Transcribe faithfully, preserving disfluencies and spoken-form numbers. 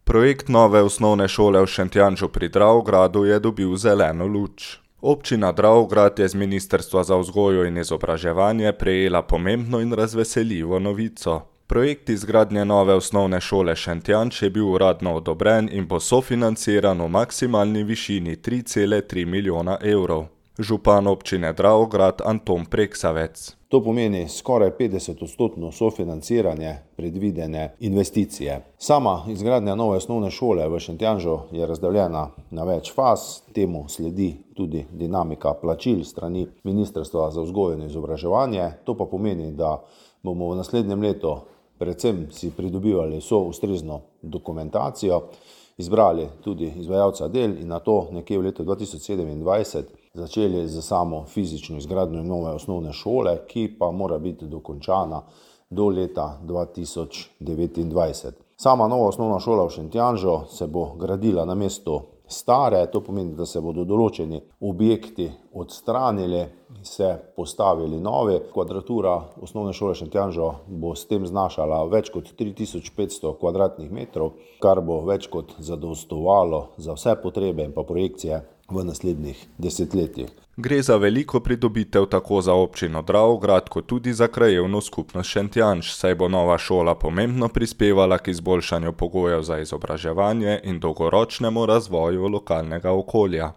Projekt nove osnovne šole v Šentjanžu pri Dravogradu je dobil zeleno luč. Občina Dravograd je z Ministrstva za vzgojo in izobraževanje prejela pomembno in razveseljivo novico. Projekt izgradnje nove osnovne šole Šentjanž je bil uradno odobren in bo sofinanciran v maksimalni višini tri cele tri milijona evrov. Župan občine Dravograd Anton Preksavec. To pomeni skoraj petdesetodstotno sofinanciranje predvidene investicije. Sama izgradnja nove osnovne šole v Šentjanžu je razdeljena na več faz, temu sledi tudi dinamika plačil strani Ministrstva za vzgojo in izobraževanje. To pa pomeni, da bomo v naslednjem letu predvsem si pridobivali vso ustrezno dokumentacijo, izbrali tudi izvajalca del in nato nekje v letu dva tisoč sedemindvajset začeli z samo fizično izgradnjo nove osnovne šole, ki pa mora biti dokončana do leta dva tisoč devetindvajset. Sama nova osnovna šola v Šentjanžu se bo gradila na mestu stare, to pomeni, da se bodo določeni objekti odstranili, se postavili novi. Kvadratura osnovne šole Šentjanžu bo s tem znašala več kot tri tisoč petsto kvadratnih metrov, kar bo več kot zadostovalo za vse potrebe in pa projekcije v naslednjih desetletjih. Gre za veliko pridobitev tako za občino Dravograd kot tudi za krajevno skupnost Šentjanž, saj bo nova šola pomembno prispevala k izboljšanju pogojev za izobraževanje in dolgoročnemu razvoju lokalnega okolja.